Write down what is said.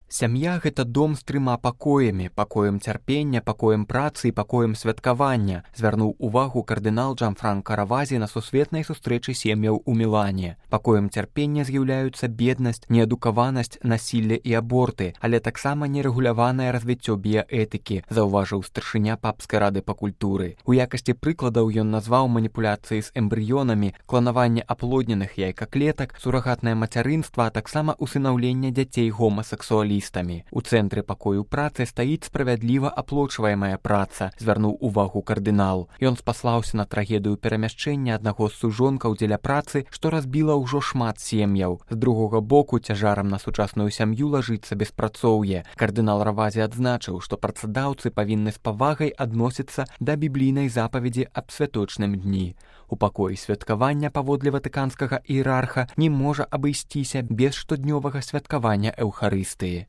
Сям'я – гэта дом з 3 пакоямі, пакоем цярпення, пакоем працы і пакоем святкавання, звярнуў увагу кардынал Джанфранка Равазі на сусветнай сустрэчы сем'яў у Мілане. Пакоем цярпення з'яўляюцца беднасць, неадукаванасць, насілле і аборты, але таксама нерэгуляванае развіццё біяэтыкі, заўважыў старшыня папскай рады па культуры. У якасці прыкладаў ён назваў маніпуляцыі з эмбрыёнамі, кланаванне аплодненых яйкаклетак, сурагатнае мацярынства, а таксама усынаўленне дзяцей гомасексуалістамі. У цэнтры пакою працы стаіць справядліва аплочваемая праца, звярнуў увагу кардынал. Ён спаслаўся на трагедыю перамяшчэння аднаго з сужонкаў дзеля працы, што разбіла ўжо шмат сем'яў. З другога боку, цяжарам на сучасную сям'ю лажыцца беспрацоўе. Кардынал Равазі адзначыў, што працадаўцы павінны з павагай адносіцца да біблійнай запаведзі аб святочным дні. У пакоі святкавання, паводле ватыканскага іерарха, не можа абысціся без штоднёвага святкавання эўхарыстыі.